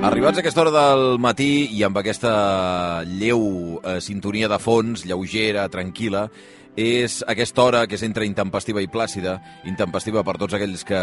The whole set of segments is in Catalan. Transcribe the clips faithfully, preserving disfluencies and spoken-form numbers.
Arribats a aquesta hora del matí i amb aquesta lleu eh, sintonia de fons, lleugera, tranquil·la, és aquesta hora que és entre intempestiva i plàcida, intempestiva per tots aquells que,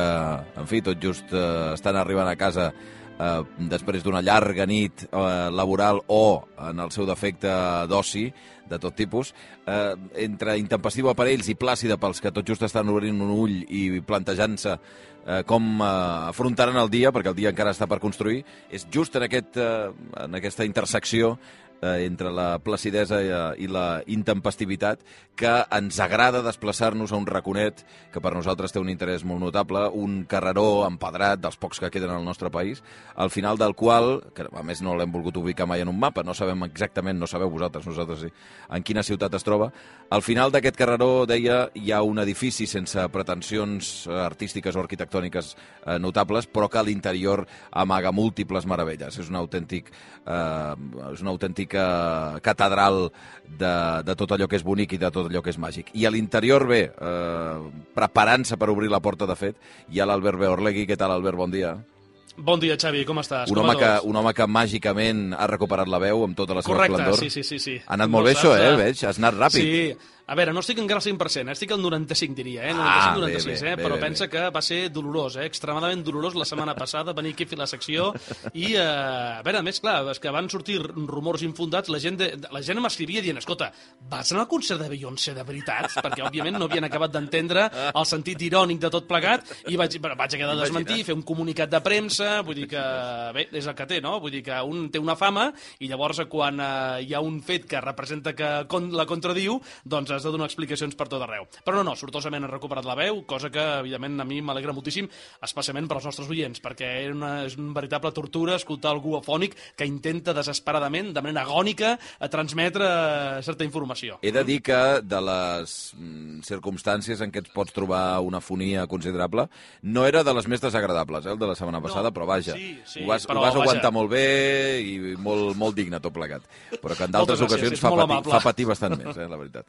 en fi, tot just eh, estan arribant a casa eh, després d'una llarga nit eh, laboral o, en el seu defecte, d'oci, de tot tipus, eh, entre intempestiva per ells i plàcida pels que tot just estan obrint un ull i plantejant-se eh, com eh, afrontaran el dia, perquè el dia encara està per construir, és just en, aquest, eh, en aquesta intersecció eh, entre la placidesa i, i la intempestivitat que ens agrada desplaçar-nos a un raconet que per nosaltres té un interès molt notable, un carreró empedrat dels pocs que queden al nostre país, al final del qual, que a més no l'hem volgut ubicar mai en un mapa, no sabem exactament, no sabeu vosaltres, nosaltres sí, en quina ciutat es troba, al final d'aquest carreró, deia, hi ha un edifici sense pretensions artístiques o arquitectòniques eh, notables, però que a l'interior amaga múltiples meravelles. És un autèntic, eh, és una autèntica catedral de, de tot allò que és bonic i de tot allò que és màgic. I a l'interior, bé, eh, preparant-se per obrir la porta, de fet, hi ha l'Albert Beorlegui. Què tal, Albert? Bon dia. Bon dia, Xavi, com estàs? Un com home, que, un home que màgicament ha recuperat la veu amb tota la seva Correcte, esplendor. sí, sí, sí, sí. Ha anat molt bé això, eh? Veig, has anat ràpid. Sí. A veure, no estic encara al cent per cent, estic al noranta-cinc, diria, eh? Ah, noranta-cinc noranta-sis, bé, bé, eh? bé, Però bé, pensa bé. que va ser dolorós, eh? Extremadament dolorós la setmana passada, venir aquí a fer la secció i, eh, a veure, a més, clar, és que van sortir rumors infundats, la gent, de, la gent m'escrivia dient, escolta, vas anar al concert de Beyoncé de veritat? Perquè, òbviament, no havien acabat d'entendre el sentit irònic de tot plegat i vaig, vaig haver de desmentir, fer un comunicat de premsa, vull dir que, bé, és el que té, no? Vull dir que un té una fama i llavors quan eh, hi ha un fet que representa que con, la contradiu, doncs has de donar explicacions per tot arreu. Però no, no, sortosament ha recuperat la veu, cosa que, evidentment, a mi m'alegra moltíssim, especialment per als nostres oients, perquè era una, és una veritable tortura escoltar algú afònic que intenta desesperadament, de manera agònica, a transmetre certa informació. He de dir que de les mm, circumstàncies en què et pots trobar una fonia considerable, no era de les més desagradables, eh, el de la setmana passada, No, però vaja, sí, sí, ho vas, però, ho vas aguantar vaja. molt bé i molt, molt digne tot plegat. Però que en d'altres Moltes gràcies, ocasions és fa molt patir, amable. fa patir bastant més, eh, la veritat.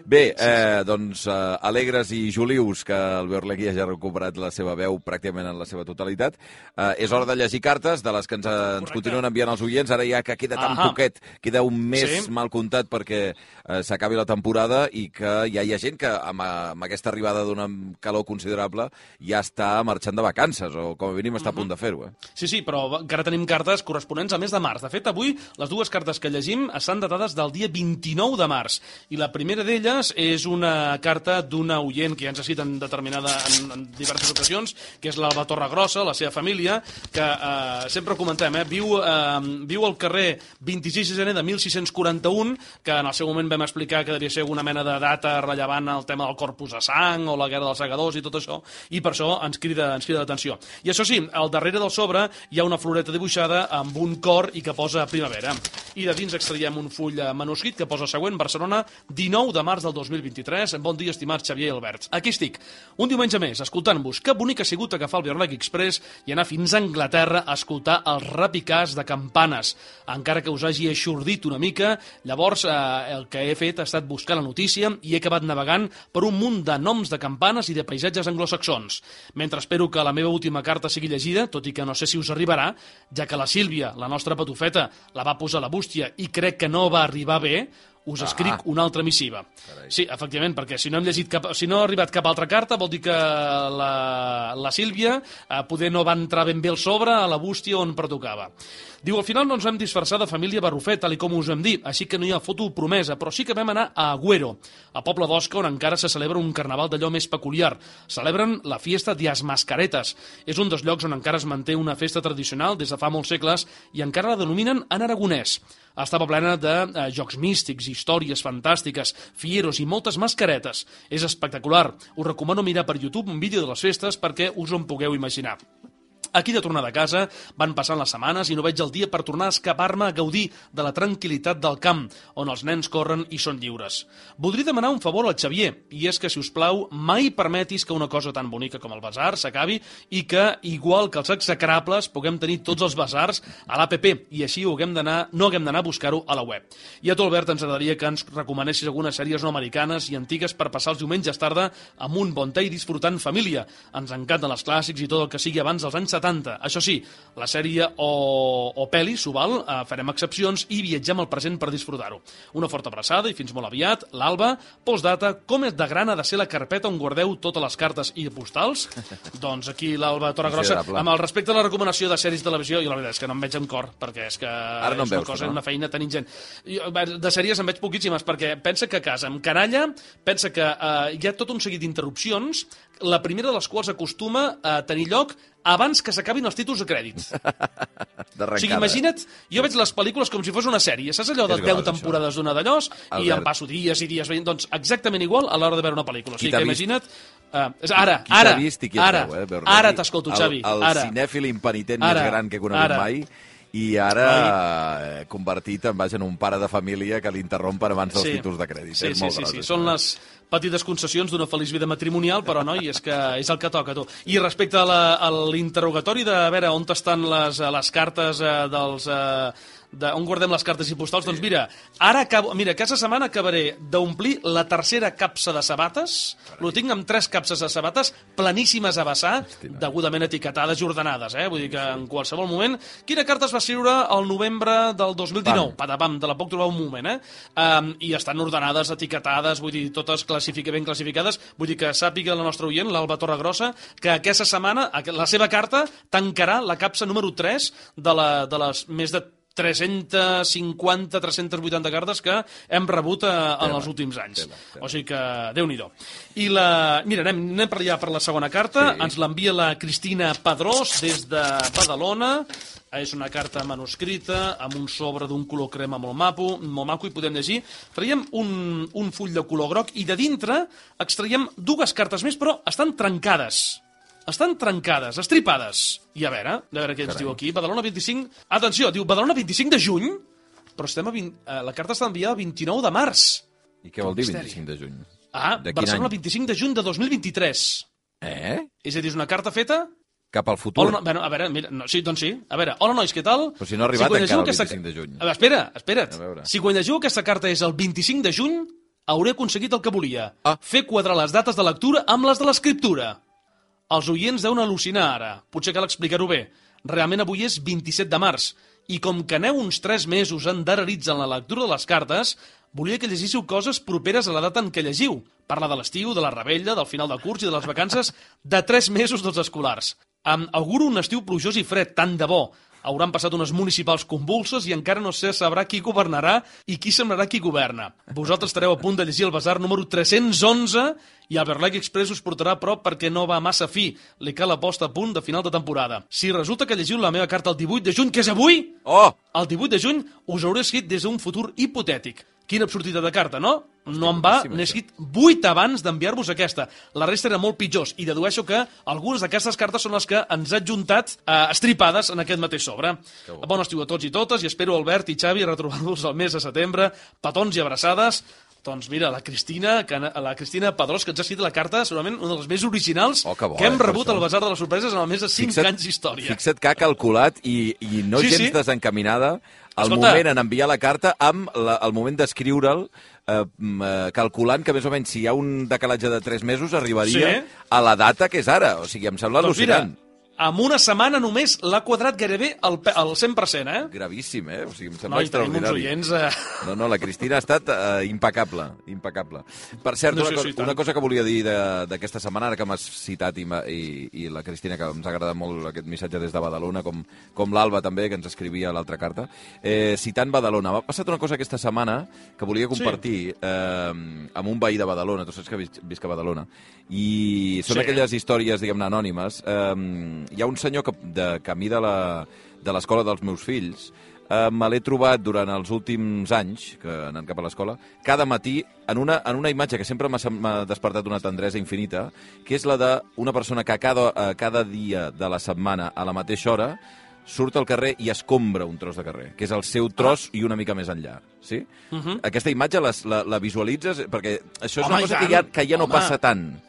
Bé, eh, doncs, eh, alegres i jolius que el Beorlegui hagi recuperat la seva veu pràcticament en la seva totalitat. Eh, és hora de llegir cartes, de les que ens, ens Correcte. continuen enviant els oients, ara ja que queda tan Ahà. poquet, queda un mes Sí. mal comptat perquè eh, s'acabi la temporada i que ja hi ha gent que amb, amb aquesta arribada d'una calor considerable ja està marxant de vacances o com a mínim està a punt de fer-ho. Eh? Sí, sí, però encara tenim cartes corresponents a mes de març. De fet, avui les dues cartes que llegim estan datades del dia vint-i-nou de març. I la primera d'elles és una carta d'una oient que ja ens ha citat en determinada en, en diverses ocasions, que és l'Alba Torregrossa, la seva família, que eh, sempre ho comentem, eh, viu, eh, viu al carrer vint-i-sis de gener de mil sis-cents quaranta-un, que en el seu moment vam explicar que devia ser una mena de data rellevant al tema del Corpus de Sang o la Guerra dels Segadors i tot això, i per això ens crida, ens crida l'atenció. I això sí, al darrere del sobre hi ha una floreta dibuixada amb un cor i que posa primavera. I de dins extraiem un full manuscrit que posa següent, Barcelona, dinou de març del dos mil vint-i-tres. Bon dia, estimat Xavier i Albert. Aquí estic, un diumenge més, escoltant-vos. Que bonic ha sigut agafar el Beorlegui Express i anar fins a Anglaterra a escoltar els repicars de campanes. Encara que us hagi eixordit una mica, llavors eh, el que he fet ha estat buscar la notícia i he acabat navegant per un munt de noms de campanes i de paisatges anglosaxons. Mentre espero que la meva última carta sigui llegida, tot i que no sé si us arribarà, ja que la Sílvia, la nostra patufeta, la va posar a la bústia i crec que no va arribar bé, us escric Ah. una altra missiva. Carai. Sí, efectivament, perquè si no hem llegit cap, si no ha arribat cap altra carta, vol dir que la, la Sílvia eh, poder no va entrar ben bé al sobre a la bústia on pertocava. Diu, al final no ens vam disfressar de família Barrufet, tal i com us vam dir, així que no hi ha foto promesa, però sí que vam anar a Agüero, a Poble d'Osca, on encara se celebra un carnaval d'allò més peculiar. Celebren la fiesta de las Mascaretes. És un dels llocs on encara es manté una festa tradicional des de fa molts segles i encara la denominen en aragonès. Estava plena de eh, jocs místics, històries fantàstiques, fieros i moltes mascaretes. És espectacular. Us recomano mirar per YouTube un vídeo de les festes perquè us ho en pugueu imaginar. Aquí de tornada a casa van passant les setmanes i no veig el dia per tornar a escapar-me a gaudir de la tranquil·litat del camp, on els nens corren i són lliures. Voldria demanar un favor al Xavier, i és que, si us plau, mai permetis que una cosa tan bonica com el basar s'acabi i que, igual que els execrables, puguem tenir tots els basars a l'A P P i així ho haguem d'anar, no haguem d'anar a buscar-ho a la web. I a tu, Albert, ens agradaria que ens recomanessis algunes sèries no americanes i antigues per passar els diumenges tarda amb un bon te i disfrutant família. Ens encanten els clàssics i tot el que sigui abans dels anys setanta. Això sí, la sèrie o, o pel·li s'ho val, eh, farem excepcions i viatgem al present per disfrutar-ho. Una forta abraçada i fins molt aviat. L'Alba, postdata, com és de gran ha de ser la carpeta on guardeu totes les cartes i postals? Doncs aquí l'Alba Torregrossa, amb el respecte a la recomanació de sèries de televisió, i la veritat és que no em veig amb cor, perquè és que Ara no és una veus, cosa, no? una feina tan ingent. De sèries em veig poquíssimes, perquè pensa que a casa em canalla, pensa que eh, hi ha tot un seguit d'interrupcions, la primera de les quals acostuma a tenir lloc abans que s'acabin els títols de crèdits. O sigui, imagina't, jo veig les pel·lícules com si fos una sèrie. Saps allò de deu temporades d'una d'allòs? I em passo dies i dies veient. Doncs exactament igual a l'hora de veure una pel·lícula. O sigui que imagina't... Uh, ara, ara, ara, ara t'escolto, Xavi. El, el cinèfil impenitent més gran que he conegut mai, i ara eh, convertit en, vaja, en un pare de família que l'interrompen abans dels sí. títols de crèdit. Sí, és sí, molt sí, gros, sí. Són les petites concessions d'una feliç vida matrimonial, però, noi, és que és el que toca, tu. I respecte a l'interrogatori de, a veure, on estan les, les cartes eh, dels... Eh, de on guardem les cartes i postals, sí. Doncs mira, ara acabo, mira, aquesta setmana acabaré d'omplir la tercera capsa de sabates, lo tinc amb tres capses de sabates planíssimes a vessar, Estima. degudament etiquetades i ordenades, eh? Vull dir que en qualsevol moment... Quina carta es va escriure el novembre del dos mil dinou? Pam. Patapam, de la poc trobar un moment, eh? Um, I estan ordenades, etiquetades, vull dir, totes classific ben classificades, vull dir que sàpiga la nostra oient, l'Alba Torregrossa, que aquesta setmana la seva carta tancarà la capsa número tres de, la, de les més de tres-centes cinquanta, tres-centes vuitanta cartes que hem rebut a, en els últims anys. Tela, tela. O sigui que, Déu-n'hi-do. I la... Mira, anem, anem per allà per la segona carta. Sí. Ens l'envia la Cristina Pedrós des de Badalona. És una carta manuscrita amb un sobre d'un color crema molt maco, molt maco, i podem llegir. Traiem un, un full de color groc i de dintre extraiem dues cartes més, però estan trencades. Estan trencades, estripades. I a veure, a veure què ens Carai. diu aquí. Badalona vint-i-cinc... Atenció, diu Badalona vint-i-cinc de juny, però estem a vint... eh, la carta està enviada el vint-i-nou de març. I què vol dir vint-i-cinc de juny? Ah, Barcelona vint-i-cinc de juny de dos mil vint-i-tres. Eh? És a dir, és una carta feta... Cap al futur. Hola, no, bueno, a veure, mira, no, sí, doncs sí. A veure, hola nois, què tal? Però si no ha arribat si encara el aquesta... vint-i-cinc de juny. A veure, espera, espera't. Si quan llegiu aquesta carta és el vint-i-cinc de juny, hauré aconseguit el que volia. Ah. Fer quadrar les dates de lectura amb les de l'escriptura. Els oients deuen al·lucinar ara. Potser cal explicar-ho bé. Realment avui és vint-i-set de març. I com que aneu uns tres mesos endarrerits en la lectura de les cartes, volia que llegíssiu coses properes a la data en què llegiu. Parla de l'estiu, de la rebella, del final de curs i de les vacances de tres mesos dels escolars. Em auguro un estiu plujós i fred, tant de bo. Hauran passat unes municipals convulses i encara no se sabrà qui governarà i qui semblarà qui governa. Vosaltres estareu a punt de llegir el basar número tres-cents onze i el Berlec Express us portarà a prop perquè no va massa fi. Li cal la posta a punt de final de temporada. Si resulta que llegiu la meva carta el divuit de juny, que és avui, oh! el divuit de juny us hauré escrit des d'un futur hipotètic. Quina absurditat de carta, no? No em va, n'he escrit vuit abans d'enviar-vos aquesta. La resta era molt pitjors i dedueixo que algunes d'aquestes cartes són les que ens ha adjuntat eh, estripades en aquest mateix sobre. Bon estiu a tots i totes i espero, Albert i Xavi, retrobar-vos el mes de setembre. Petons i abraçades. Doncs mira, la Cristina, que, la Cristina Pedrós, que ens ha escrit la carta, segurament una de les més originals oh, que, bo, que hem eh, rebut al Basar de les Sorpreses en el més de cinc fixa't, anys d'història. Fixa't que ha calculat i, i no sí, gens sí. desencaminada el Escolta, moment en enviar la carta amb la, el moment d'escriure'l, eh, calculant que més o menys si hi ha un decalatge de tres mesos arribaria sí. a la data que és ara. O sigui, em sembla doncs al·lucinant. Mira, amb una setmana només l'ha quadrat gairebé al, al cent per cent, eh? Gravíssim, eh? O sigui, em sembla no, extraordinari. Oients, eh? No, no, la Cristina ha estat uh, impecable, impecable. Per cert, no, una, co sí, una cosa que volia dir d'aquesta setmana, ara que m'has citat i, i, i la Cristina, que ens ha agradat molt aquest missatge des de Badalona, com, com l'Alba també, que ens escrivia l'altra carta, eh, citant Badalona. M'ha passat una cosa aquesta setmana que volia compartir sí. eh, amb un veí de Badalona, tu saps que vis visc a Badalona, i són sí. aquelles històries, diguem-ne, anònimes. Eh, hi ha un senyor que de camí de l'escola de dels meus fills eh, me l'he trobat durant els últims anys, que anant cap a l'escola, cada matí en una, en una imatge que sempre m'ha despertat una tendresa infinita, que és la d'una persona que cada, eh, cada dia de la setmana a la mateixa hora surt al carrer i escombra un tros de carrer, que és el seu tros ah. i una mica més enllà. Sí? Uh -huh. Aquesta imatge les, la, la visualitzes? Perquè això és Home, una cosa que ja, que ja no Home. passa tant.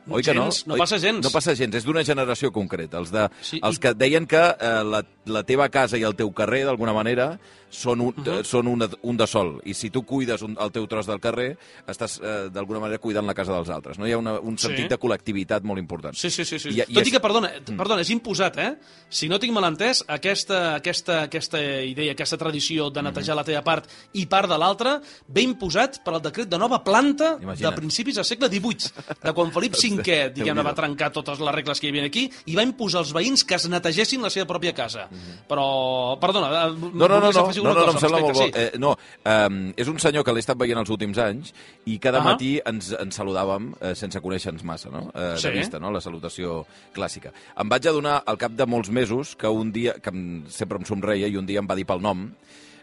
Oi que no? Gens, no passa gens. No passa gens, és d'una generació concreta. Els, de, sí, els i... que deien que eh, la, la teva casa i el teu carrer, d'alguna manera, són un, uh -huh. són un, un de sol. I si tu cuides un, el teu tros del carrer, estàs eh, d'alguna manera cuidant la casa dels altres. No? Hi ha una, un sentit sí. de col·lectivitat molt important. Sí, sí, sí. sí. I, Tot i i que, perdona, perdona, és imposat, eh? Si no tinc mal entès, aquesta, aquesta, aquesta idea, aquesta tradició de netejar uh -huh. la teva part i part de l'altra, ve imposat per al decret de nova planta Imagina't. de principis del segle divuit, de quan Felip cinquè, diguem-ne, va trencar totes les regles que hi havia aquí i va imposar als veïns que es netegessin la seva pròpia casa. Uh -huh. Però, perdona... No, no, no, no, no, no, no, em sembla molt bo. Sí. Eh, no, um, és un senyor que l'he estat veient els últims anys i cada uh -huh. matí ens, ens saludàvem eh, sense conèixer-nos massa, no? Eh, sí. De vista, no? La salutació clàssica. Em vaig adonar al cap de molts mesos que un dia, que em, sempre em somreia i un dia em va dir pel nom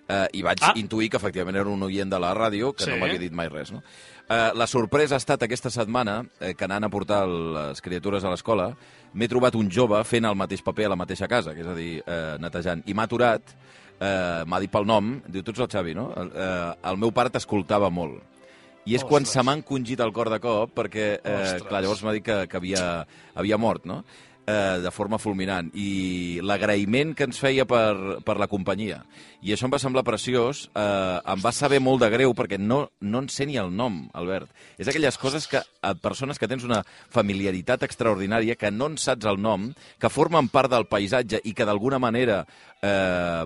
eh, i vaig ah. intuir que efectivament era un oient de la ràdio que sí. no m'havia dit mai res, no? Eh, la sorpresa ha estat aquesta setmana eh, que anant a portar les criatures a l'escola m'he trobat un jove fent el mateix paper a la mateixa casa, que és a dir, eh, netejant, i m'ha aturat. Uh, m'ha dit pel nom, diu, tu ets el Xavi, no? Uh, el meu pare t'escoltava molt. I és Ostres. quan se m'ha encongit el cor de cop, perquè, uh, clar, llavors m'ha dit que, que havia, havia mort, no? Uh, de forma fulminant. I l'agraïment que ens feia per, per la companyia. I això em va semblar preciós. Uh, em va saber molt de greu, perquè no, no en sé ni el nom, Albert. És aquelles coses que, a persones que tens una familiaritat extraordinària, que no en saps el nom, que formen part del paisatge i que d'alguna manera eh,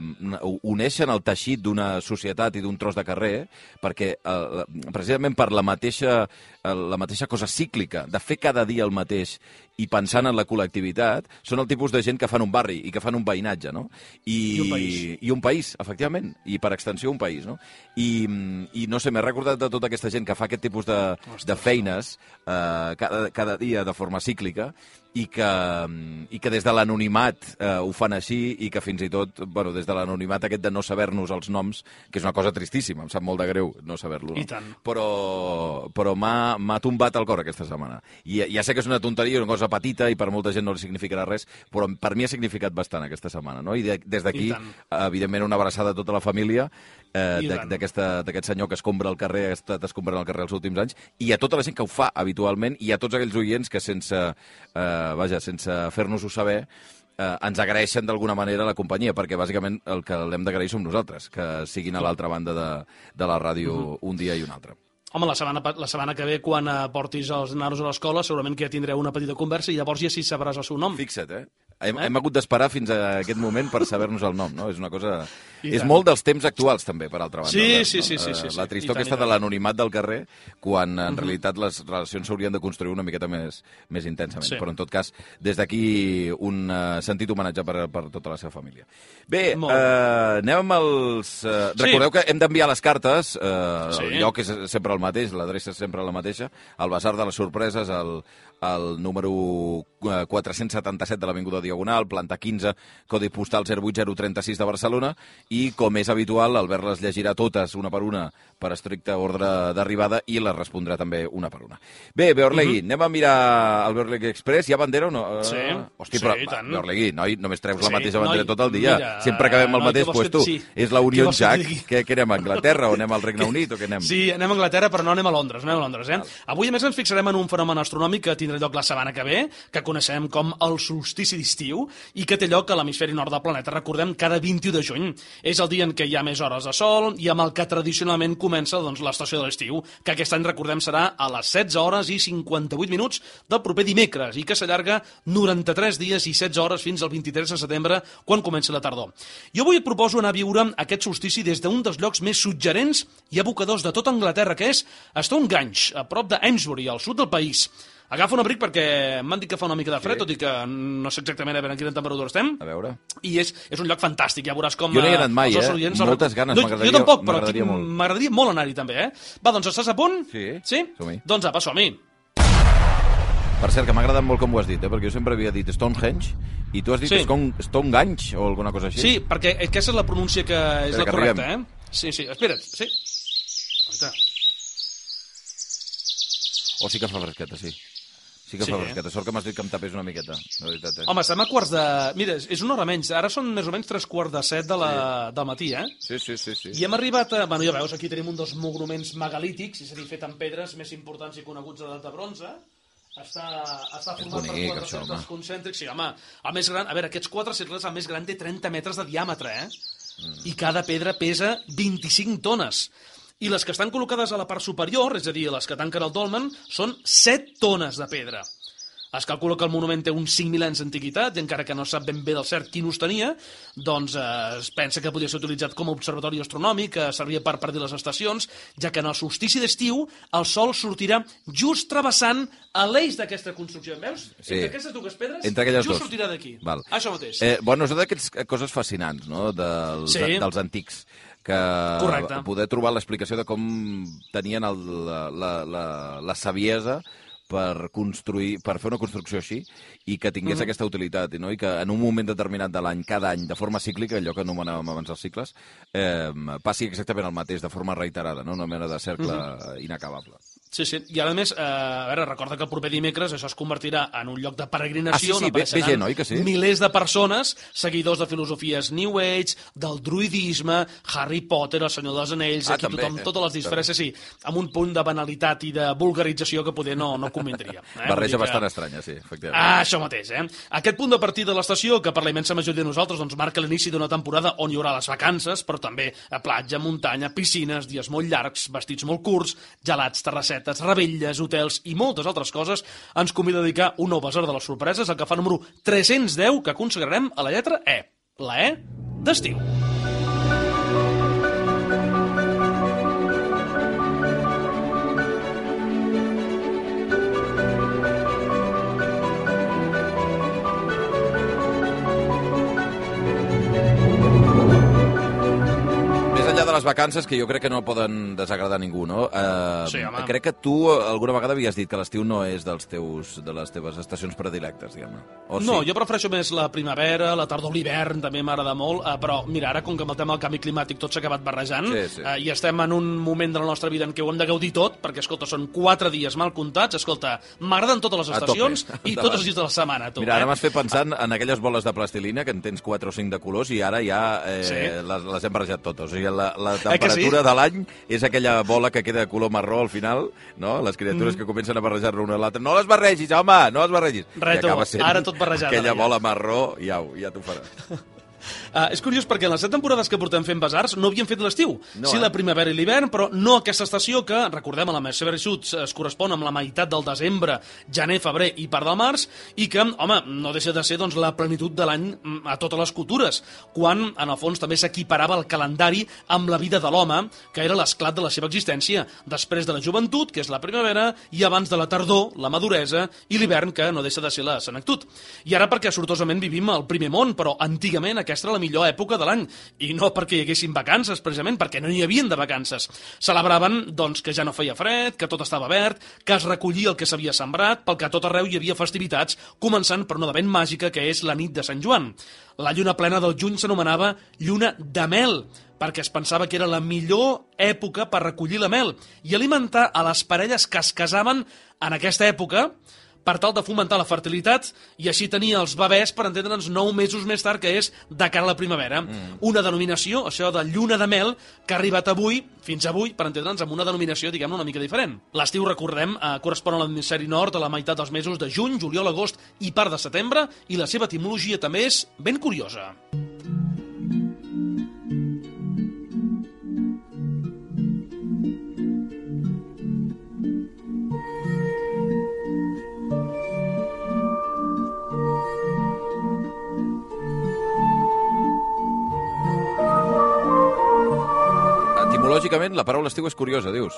uneixen el teixit d'una societat i d'un tros de carrer, perquè eh, precisament per la mateixa, la mateixa cosa cíclica de fer cada dia el mateix i pensant en la col·lectivitat, són el tipus de gent que fan un barri i que fan un veïnatge, no? I, I un país. I un país, efectivament, i per extensió un país, no? I, i no sé, m'he recordat de tota aquesta gent que fa aquest tipus de, de feines eh, cada, cada dia de forma cíclica i que, i que des de l'anonimat eh, ho fan així i que fins i tot, bueno, des de l'anonimat aquest de no saber-nos els noms, que és una cosa tristíssima, em sap molt de greu no saber-lo, no? I tant. Però, però m'ha tombat el cor aquesta setmana. I ja sé que és una tonteria, una cosa petita i per molta gent no li significarà res, però per mi ha significat bastant aquesta setmana, no? I de, des d'aquí, evidentment, una abraçada a tota la família eh, d'aquest senyor que escombra el carrer, ha estat escombrant el carrer els últims anys, i a tota la gent que ho fa habitualment, i a tots aquells oients que sense... Eh, vaja, sense fer-nos-ho saber, eh, ens agraeixen d'alguna manera la companyia, perquè bàsicament el que l'hem d'agrair som nosaltres, que siguin a l'altra banda de, de la ràdio uh-huh. un dia i un altre. Home, la setmana, la setmana que ve, quan portis els nanos a l'escola, segurament que ja tindreu una petita conversa i llavors ja sí sabràs el seu nom. Fixa't, eh? Hem, eh? hem hagut d'esperar fins a aquest moment per saber-nos el nom, no? És una cosa... I és tant. Molt dels temps actuals, també, per altra banda. Sí, Albert, sí, no? sí, sí, sí, sí. La tristor aquesta de l'anonimat del carrer, quan en uh-huh. realitat les relacions s'haurien de construir una miqueta més, més intensament. Sí. Però, en tot cas, des d'aquí un uh, sentit homenatge per, per tota la seva família. Bé, uh, anem amb els... Uh, sí. Recordeu que hem d'enviar les cartes, uh, sí. el lloc és sempre el mateix, l'adreça és sempre la mateixa, al Basar de les Sorpreses, al, al número quatre-cents setanta-set de l'Avinguda Diagonal, planta quinze, codi postal zero vuit zero tres sis de Barcelona, i, com és habitual, Albert les llegirà totes una per una per estricte ordre d'arribada i les respondrà també una per una. Bé, Beorlegui, uh-huh. anem a mirar el Beorlegui Express. Hi ha bandera o no? Sí, Hosti, sí, però, i tant. Beorlegui, noi, només treus sí, la mateixa bandera noi, tot el dia. Mira, Sempre acabem el noi, mateix, doncs pues, tu. Sí. És la Unió Jack. Què, què anem a Anglaterra o anem al Regne Unit o què anem? Sí, anem a Anglaterra, però no anem a Londres. No anem a Londres eh? Avui, a més, ens fixarem en un fenomen astronòmic que tindrà lloc la setmana que ve, que coneixem com el solstici d'estiu, i que té lloc a l'hemisferi nord del planeta, recordem, cada vint-i-u de juny. És el dia en què hi ha més hores de sol i amb el que tradicionalment comença doncs, l'estació de l'estiu, que aquest any, recordem, serà a les setze hores i cinquanta-vuit minuts del proper dimecres i que s'allarga noranta-tres dies i setze hores fins al vint-i-tres de setembre, quan comença la tardor. Jo avui et proposo anar a viure aquest solstici des d'un dels llocs més suggerents i evocadors de tota Anglaterra, que és Stonehenge, a prop d'Amesbury, al sud del país. Agafa un abric perquè m'han dit que fa una mica de fred, sí. tot i que no sé exactament a veure en quina temperatura estem. A veure. I és, és un lloc fantàstic, ja veuràs com... Jo no hi he anat mai, eh? Oients, Moltes ganes, no, m'agradaria jo tampoc, però molt. M'agradaria molt anar-hi també, eh? Va, doncs estàs a punt? Sí, sí? som-hi. Doncs apa, som-hi. Per cert, que m'ha agradat molt com ho has dit, eh? Perquè jo sempre havia dit Stonehenge I tu has dit Sí. Stone, Stonegange o alguna cosa així? Sí, perquè aquesta és la pronúncia que és Espera, la que correcta, arribem. eh? Sí, sí, espera't, sí. Aguanta. O sí que fa fresqueta, sí. Sí que Sí, fa eh? fresqueta. Sort que m'has dit que em tapés una miqueta, de veritat, eh? Home, estem a quarts de... Mira, és una hora menys. Ara són més o menys tres quarts de set de la... del matí, eh? Sí, sí, sí, sí. I hem arribat a... Bueno, ja veus, aquí tenim un dels monuments megalítics, és a dir, fet amb pedres més importants i coneguts de l'edat de bronze. Està, està format bonic, per quatre això, cercles home. concèntrics. Sí, home, el més gran... A veure, aquests quatre cercles, el més gran té trenta metres de diàmetre, eh? Mm. I cada pedra pesa vint-i-cinc tones. I les que estan col·locades a la part superior, és a dir, les que tanquen el dolmen, són set tones de pedra. Es calcula que el monument té uns cinc mil anys d'antiguitat, i encara que no sap ben bé del cert quin ús tenia, doncs eh, es pensa que podia ser utilitzat com a observatori astronòmic, que servia per predir les estacions, ja que en el solstici d'estiu el sol sortirà just travessant a l'eix d'aquesta construcció. Veus? Sí. Entre aquestes dues pedres, Entre aquelles just dos. sortirà d'aquí. Val. Això mateix. Eh, bueno, és d'aquestes coses fascinants, no?, dels, Sí. dels antics, que Correcte. poder trobar l'explicació de com tenien el, la, la, la, la saviesa per construir, per fer una construcció així i que tingués mm. aquesta utilitat, no? I que en un moment determinat de l'any, cada any, de forma cíclica, allò que anomenàvem abans els cicles, eh, passi exactament el mateix, de forma reiterada, no? Una mena de cercle mm. inacabable. Sí, sí. I a més, eh, a veure, recorda que el proper dimecres això es convertirà en un lloc de peregrinació. Ah, sí, sí, on ve- ve apareixeran gent, oi que sí? milers de persones, seguidors de filosofies New Age, del druidisme, Harry Potter, el Senyor dels Anells, Ah, aquí també, tothom, eh? totes les disfresses, sí, amb un punt de banalitat i de vulgarització que poder no, no convindria. Eh? Barreja Vull dir que- bastant estranya, sí, efectivament. Ah, això mateix, eh? Aquest punt de partida de l'estació, que per la immensa majoria de nosaltres doncs, marca l'inici d'una temporada on hi haurà les vacances, però també a platja, muntanya, piscines, dies molt llargs, vestits molt curts, gelats, terrassetes, rebelles, hotels i moltes altres coses, ens convida a dedicar un nou basar de les sorpreses, el que fa número tres-cents deu, que consagrarem a la lletra E. La E d'estiu. Més enllà de les vacances, que jo crec que no poden desagradar ningú, no? Eh, Sí, home. crec que tu alguna vegada havies dit que l'estiu no és dels teus, de les teves estacions predilectes, diguem-ne. O No, sí? jo prefereixo més la primavera, la tardor, l'hivern, també m'agrada molt, eh, però mira, ara com que amb el tema del canvi climàtic tot s'ha acabat barrejant, Sí, sí. Eh, i estem en un moment de la nostra vida en què ho hem de gaudir tot, perquè, escolta, són quatre dies mal comptats, escolta, m'agraden totes les A tope. estacions i Endavant. tots els dies de la setmana, tu. Mira, ara eh? m'has fet pensant en aquelles boles de plastilina, que en tens quatre o cinc de colors, i ara ja eh, Sí. les, les hem barrejat totes. O sigui, la, la Eh que sí? temperatura de l'any és aquella bola que queda de color marró al final, no? Les criatures mm. que comencen a barrejar-ne una a l'altra. No les barregis, home, no les barregis. Res, I tu, acaba sent ara tot barrejat, aquella ara ja. bola marró, ja, ho- ja t'ho farà. Uh, és curiós perquè en les set temporades que portem fent basars no havíem fet l'estiu. No, sí, eh? la primavera i l'hivern, però no aquesta estació que, recordem, a la seva veritat es correspon amb la meitat del desembre, gener, febrer i part del març, i que, home, no deixa de ser doncs, la plenitud de l'any mm, a totes les cultures, quan, en el fons, també s'equiparava el calendari amb la vida de l'home, que era l'esclat de la seva existència, després de la joventut, que és la primavera, i abans de la tardor, la maduresa, i l'hivern, que no deixa de ser la senectut. I ara perquè sortosament vivim al primer món, però antigament aquesta era la millor època de l'any, i no perquè hi haguessin vacances, precisament, perquè no hi havien de vacances. Celebraven, doncs, que ja no feia fred, que tot estava verd, que es recollia el que s'havia sembrat, pel que a tot arreu hi havia festivitats, començant per una de ben màgica, que és la nit de Sant Joan. La lluna plena del juny s'anomenava lluna de mel, perquè es pensava que era la millor època per recollir la mel i alimentar a les parelles que es casaven en aquesta època, per tal de fomentar la fertilitat i així tenir els bebès, per entendre'ns, nou mesos més tard, que és de cara a la primavera. Mm. Una denominació, això de lluna de mel, que ha arribat avui, fins avui, per entendre'ns, amb una denominació, diguem-ne, una mica diferent. L'estiu, recordem, eh, correspon a l'hemisferi nord a la meitat dels mesos de juny, juliol, agost i part de setembre, i la seva etimologia també és ben curiosa. Etimològicament, la paraula estiu és curiosa, dius.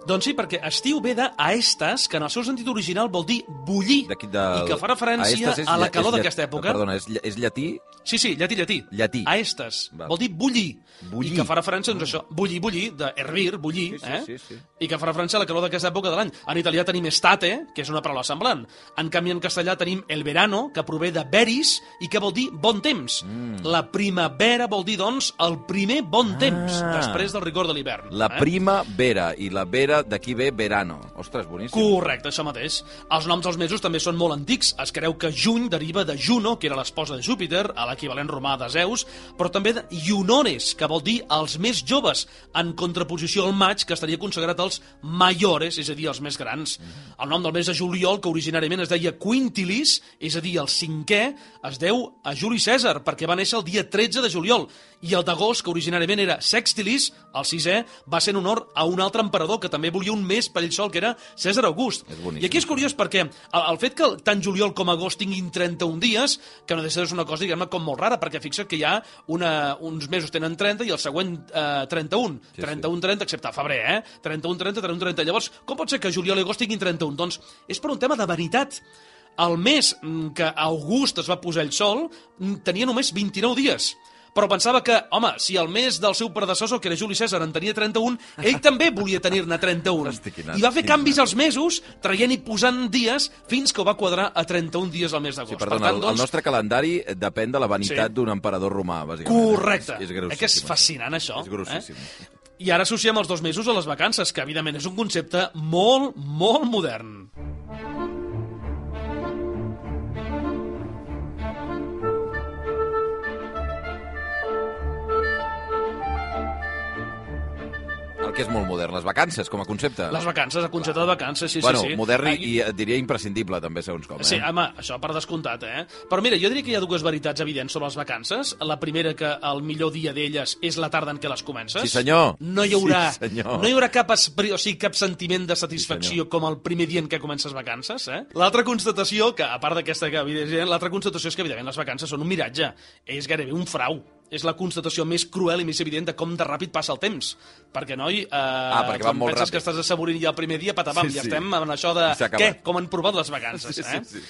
Doncs sí, perquè estiu ve de aestas, que en el seu sentit original vol dir bullir, D'aquí del- i que fa referència Aestas és a la lla- calor és lla- d'aquesta època. Perdona, és, lla- és llatí? Sí, sí, llatí, llatí. Llatí. Aestas. Val. Vol dir bullir. Bullir. I que fa referència, doncs, això, bullir, bullir, de hervir, bullir, Sí, sí, eh? sí, sí. I que fa referència a la calor d'aquesta època de l'any. En italià tenim estate, que és una paraula semblant. En canvi, en castellà tenim el verano, que prové de veris i que vol dir bon temps. Mm. La primavera vol dir, doncs, el primer bon temps, Ah. després del rigor de l'hivern. La eh? primavera, i la vera d'aquí ve verano. Ostres, boníssim. Correcte, això mateix. Els noms dels mesos també són molt antics. Es creu que juny deriva de Juno, que era l'esposa de Júpiter, a l'equivalent romà de Zeus, però també de Iunores, que vol dir els més joves, en contraposició al maig, que estaria consagrat als maiores, és a dir, els més grans. Mm-hmm. El nom del mes de juliol, que originàriament es deia Quintilis, és a dir, el cinquè, es deu a Juli Cèsar, perquè va néixer el dia tretze de juliol, i el d'agost, que originàriament era Sextilis, el sisè, va ser en honor a un altre emperador que també volia un mes per ell sol, que era Cèsar August. És boníssim. I aquí és curiós perquè el, el fet que tant juliol com agost tinguin trenta-un dies, que no deixa de ser una cosa, diguem-ne, com molt rara, perquè fixa't que hi ha una, uns mesos tenen trenta i el següent eh, trenta-un. Sí, sí. trenta-un trenta, excepte febrer, eh? trenta-un trenta, trenta-un trenta. Llavors, com pot ser que juliol i agost tinguin trenta-un? Doncs és per un tema de vanitat. El mes mm, que August es va posar el sol mm, tenia només vint-i-nou dies. Però pensava que, home, si el mes del seu predecessor, que era Juli Cèsar, en tenia trenta-un, ell també volia tenir-ne trenta-un. Hosti, quina- I va fer quina- canvis als mesos, traient i posant dies, fins que ho va quadrar a trenta-un dies al mes d'agost. Sí, perdona, el, el nostre calendari depèn de la vanitat Sí. d'un emperador romà, bàsicament. Correcte. És, és eh grossíssim. que és això. fascinant, això. És grossíssim. Eh? I ara associem els dos mesos a les vacances, que evidentment és un concepte molt, molt modern. El que és molt modern, les vacances, com a concepte. Les vacances, el concepte de vacances, sí, bueno, sí, sí. modern i, Eh, i et diria imprescindible, també, segons com. Eh? Sí, home, això per descomptat, eh? Però mira, jo diria que hi ha dues veritats evidents sobre les vacances. La primera, que el millor dia d'elles és la tarda en què les comences. Sí, senyor. No hi haurà, Sí, senyor. no hi haurà cap, espri, o sigui, cap sentiment de satisfacció Sí, com el primer dia en què comences vacances, eh? L'altra constatació, que a part d'aquesta que evidentment, l'altra constatació és que evidentment les vacances són un miratge. És gairebé un frau. És la constatació més cruel i més evident de com de ràpid passa el temps. Perquè, noi, eh, Ah, perquè va quan molt penses ràpid. que estàs assaborint ja el primer dia, patapam, Sí, ja sí. estem en això de... I s'ha acabat. Què? Com han provat les vacances, Sí, eh? sí, sí.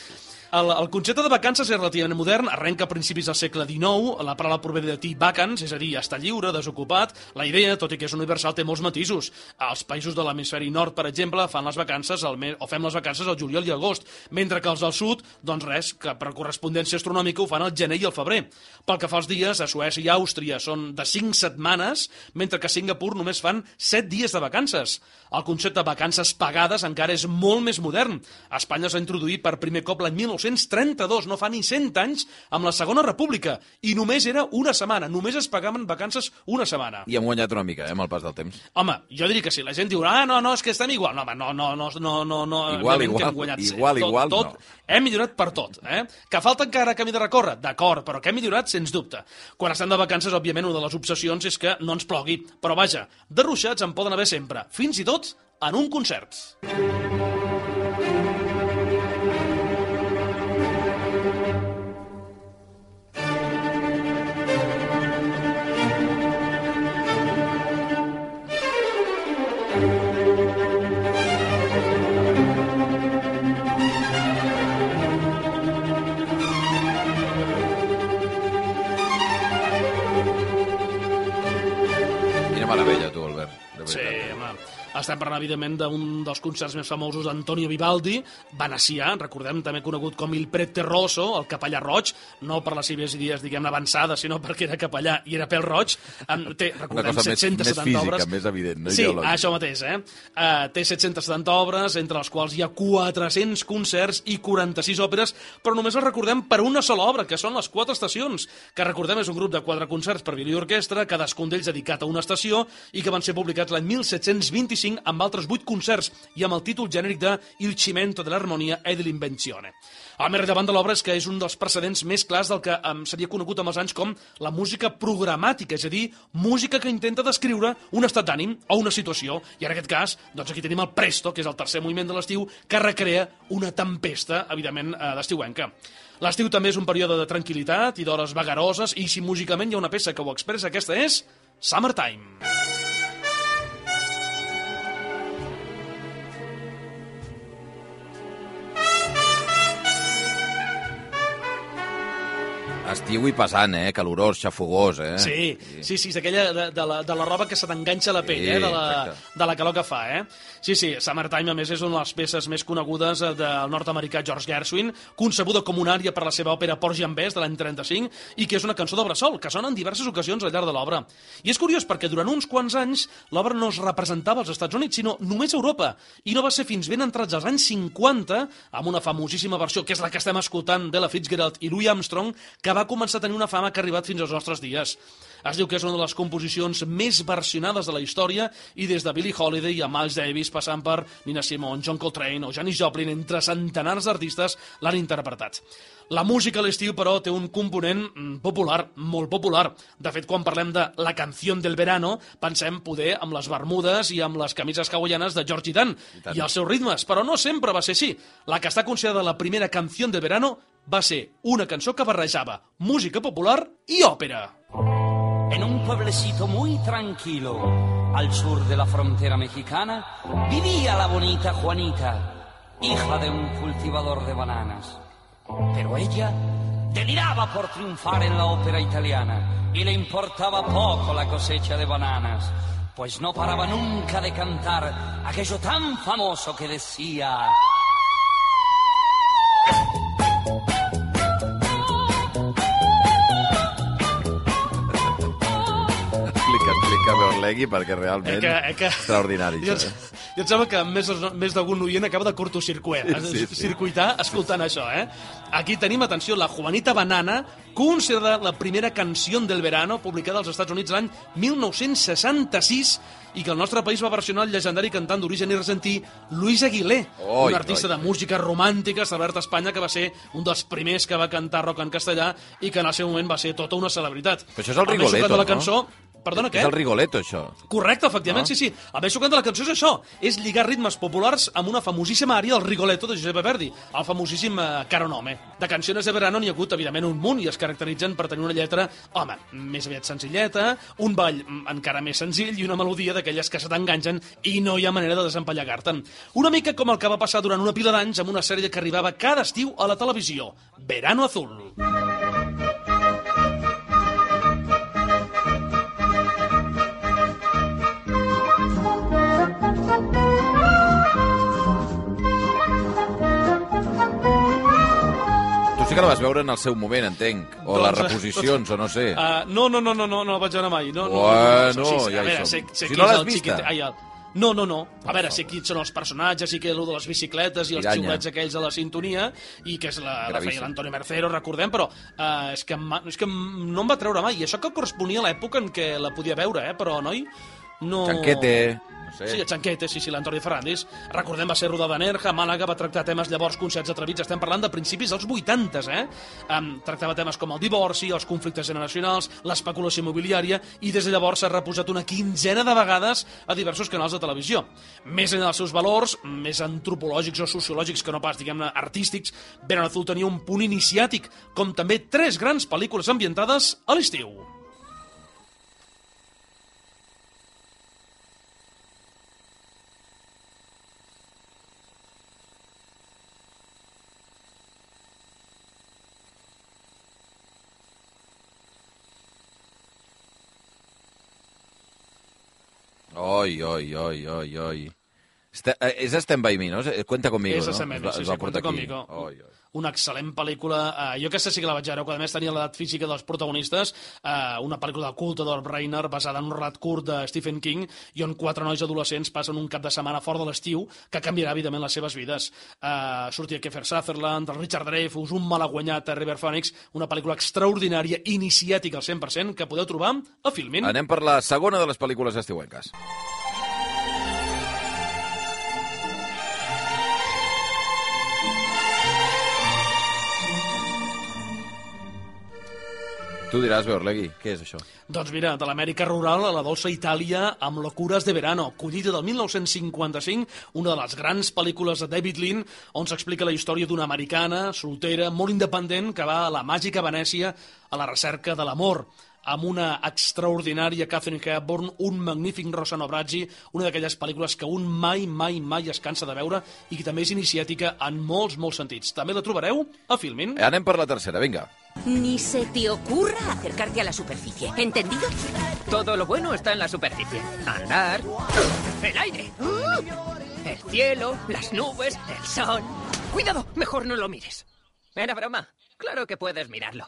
El, el concepte de vacances és relativament modern, arrenca a principis del segle dinou, la paraula prové de llatí vacans, és a dir, estar lliure, desocupat. La idea, tot i que és universal, té molts matisos. Els països de l'hemisferi nord, per exemple, fan les vacances al mes, o fem les vacances al juliol i agost, mentre que els del sud, doncs res, que per correspondència astronòmica ho fan al gener i al febrer. Pel que fa als dies, a Suècia i Àustria són de cinc setmanes, mentre que a Singapur només fan set dies de vacances. El concepte de vacances pagades encara és molt més modern. A Espanya s'ha introduït per primer cop l'any mil nou-cents trenta-dos, no fa ni cent anys, amb la Segona República, i només era una setmana, només es pagaven vacances una setmana. I hem guanyat una mica, eh, amb el pas del temps. Home, jo diria que sí, la gent diu, ah, no, no, és que estem igual. No, home, no, no, no, no, no, no Igual, evidentment que igual, hem guanyat, sí. igual, tot, igual, tot, no. Hem millorat per tot, eh? Que falta encara camí de recórrer, d'acord, però que hem millorat, sens dubte. Quan estem de vacances, òbviament, una de les obsessions és que no ens plogui, però vaja, de ruixats en poden haver sempre, fins i tot en un concert. Quina meravella, tu, Albert. De Sí, veritat. home. Estem parlant, evidentment, d'un dels concerts més famosos d'Antonio Vivaldi, venecià, recordem, també conegut com il prete rosso, el capellà roig, no per les seves idees, diguem-ne, avançades, sinó perquè era capellà i era pèl roig. Em, té, Una recordem, cosa més, set-cents més setanta física, obres. més evident, no Sí, ideològica. això mateix, eh? Uh, té set-cents setanta obres, entre les quals hi ha quatre-cents concerts i quaranta-sis òperes, però només els recordem per una sola obra, que són les Quatre Estacions, que recordem és un grup de quatre concerts per violí i orquestra, cadascun d'ells dedicat a una estació, i que van ser publicats l'any mil set-cents vint-i-cinc amb altres vuit concerts i amb el títol genèric de Il cimento dell'armonia e dell'invenzione. El més rellevant de l'obra és que és un dels precedents més clars del que um, seria conegut amb els anys com la música programàtica, és a dir, música que intenta descriure un estat d'ànim o una situació. I en aquest cas, doncs aquí tenim el Presto, que és el tercer moviment de l'estiu, que recrea una tempesta, evidentment, eh, d'estiuenca. L'estiu també és un període de tranquil·litat i d'hores vagaroses, i si músicament hi ha una peça que ho expressa, aquesta és Summertime. Estiu i pesant, eh? Calorós, xafogós, eh? Sí, sí, sí, és aquella de, de, la, de la roba que se t'enganxa a la pell, Sí, eh? De la, exacte. de la calor que fa, eh? Sí, sí, Summertime, a més, és una de les peces més conegudes del nord-americà George Gershwin, concebuda com una ària per la seva òpera Porgy and Bess de l'any trenta-cinc, i que és una cançó de bressol, que sona en diverses ocasions al llarg de l'obra. I és curiós perquè durant uns quants anys l'obra no es representava als Estats Units, sinó només a Europa, i no va ser fins ben entrats als anys cinquanta, amb una famosíssima versió, que és la que estem escoltant d'Ella Fitzgerald i Louis Armstrong, que va començar a tenir una fama que ha arribat fins als nostres dies. Es diu que és una de les composicions més versionades de la història i des de Billie Holiday a Miles Davis, passant per Nina Simone, John Coltrane o Janis Joplin, entre centenars d'artistes l'han interpretat. La música a l'estiu, però, té un component popular, molt popular. De fet, quan parlem de la canción del verano, pensem poder amb les bermudes i amb les camises hawaianes de George Dan I, I els seus ritmes, però no sempre va ser així. La que està considerada la primera canción del verano va ser una cançó que barrejava música popular i òpera. En un pueblecito muy tranquilo, al sur de la frontera mexicana, vivía la bonita Juanita, hija de un cultivador de bananas. Pero ella deliraba por triunfar en la ópera italiana y le importaba poco la cosecha de bananas, pues no paraba nunca de cantar aquello tan famoso que decía... Explica, explica, Berlegui, perquè realment Eh que, eh que... extraordinari. Jo, Això, eh? jo em sembla que més, més d'algun oient acaba de curtocircuit, Sí, sí. circuitar escoltant això, eh? Aquí tenim, atenció, la Juanita Banana, considerada la primera canció del verano, publicada als Estats Units l'any mil nou-cents seixanta-sis, i que el nostre país va versionar el llegendari cantant d'origen argentí Luis Aguilé, Oi, un artista oi. de música romàntica establert a Espanya, que va ser un dels primers que va cantar rock en castellà i que en el seu moment va ser tota una celebritat. Però això és el més Rigoletto, sucat de la no? cançó... Perdona, què? És el Rigoletto, això. Correcte, efectivament, No? sí, sí. El més xocant de la cançó és això, és lligar ritmes populars amb una famosíssima ària del Rigoletto de Giuseppe Verdi, el famosíssim eh, Caro Nome. De cançons de verano n'hi ha hagut, evidentment, un munt, i es caracteritzen per tenir una lletra, home, més aviat senzilleta, un ball mm, encara més senzill i una melodia d'aquelles que se t'enganxen i no hi ha manera de desempallegar-te'n. Una mica com el que va passar durant una pila d'anys amb una sèrie que arribava cada estiu a la televisió, Verano Azul. Tu sí que la vas veure en el seu moment, entenc. O les reposicions, o no sé. Uh, no, no, no, no, no, no la vaig veure mai. No, no, Bueno, no, no, sí, ja a hi veure, som. sé, sé Si qui no és l'has el vista? xiquet... Ai, el... No, no, no. A veure, sé quins són els personatges, sí que és el de les bicicletes i els Piranya. xiulets aquells de la sintonia, i que és la, la Gravíssim. feia l'Antonio Mercero, recordem, però uh, és, que, em- és que no em va treure mai. I això que corresponia a l'època en què la podia veure, eh? Però, noi, no... Chanquete, no sé. Sí, a Chanquete, sí, sí, l'Antonio Ferrandis. Recordem, va ser rodada a Nerja, a Màlaga, va tractar temes llavors concerts atrevits. Estem parlant de principis dels vuitantes, eh? Um, tractava temes com el divorci, els conflictes generacionals, l'especulació immobiliària, i des de llavors s'ha reposat una quinzena de vegades a diversos canals de televisió. Més enllà dels seus valors, més antropològics o sociològics que no pas, diguem-ne, artístics, Verano Azul tenia un punt iniciàtic, com també tres grans pel·lícules ambientades a l'estiu. Oi, oi, oi, oi, oi. Este, eh, és Stand By Me, no? És- Cuenta Conmigo, És no? Stand By Me, Es va- sí, es sí, va portar Cuenta aquí. Conmigo. Oi, oi. Una excel·lent pel·lícula, eh, jo aquesta sí que la vaig veure, quan a més tenia l'edat física dels protagonistes, eh, una pel·lícula de culte d'Or Brainer basada en un relat curt de Stephen King i on quatre nois adolescents passen un cap de setmana fora de l'estiu que canviarà evidentment les seves vides. Eh, sortia Kiefer Sutherland, el Richard Dreyfuss, un malaguanyat, River Phoenix, una pel·lícula extraordinària, iniciàtica al cent per cent, que podeu trobar a Filmin. Anem per la segona de les pel·lícules estiuenques. Tu diràs, Beorlegui, què és això? Doncs mira, de l'Amèrica rural a la dolça Itàlia amb Locures de Verano, collida del mil nou-cents cinquanta-cinc, una de les grans pel·lícules de David Lean, on s'explica la història d'una americana, soltera, molt independent, que va a la màgica Venècia a la recerca de l'amor, amb una extraordinària Catherine Hepburn, un magnífic Rossano Bracci, una d'aquelles pel·lícules que un mai, mai, mai es cansa de veure i que també és iniciàtica en molts, molts sentits. També la trobareu a Filmin. Anem per la tercera, vinga. Ni se te ocurra acercarte a la superficie, ¿entendido? Todo lo bueno está en la superficie. Andar, el aire, el cielo, las nubes, el sol. Cuidado, mejor no lo mires. Era broma. Claro que puedes mirarlo.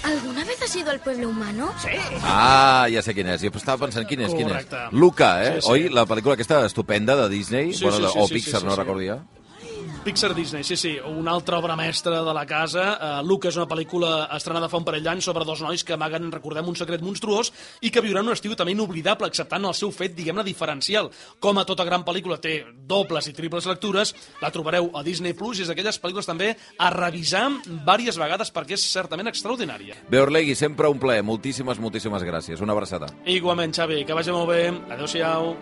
¿Alguna vez has ido al pueblo humano? Sí. Ah, ja sé quin és. Jo estava pensant quin és, quin és. Correcte. Luca, eh? Sí, sí. Oi? La pel·lícula aquesta estupenda de Disney, Sí, bueno, sí, sí, o sí, Pixar, sí, sí, no sí. recordo ja. Pixar Disney, sí, sí, una altra obra mestra de la casa. Uh, Luca és una pel·lícula estrenada fa un parell d'anys sobre dos nois que amaguen, recordem, un secret monstruós i que viuran un estiu també inoblidable, acceptant el seu fet, diguem-ne, diferencial. Com a tota gran pel·lícula té dobles i triples lectures, la trobareu a Disney Plus i és d'aquelles pel·lícules també a revisar diverses vegades perquè és certament extraordinària. Bé, Orlegui, sempre un plaer. Moltíssimes, moltíssimes gràcies. Una abraçada. Igualment, Xavi, que vagi molt bé. Adéu-siau.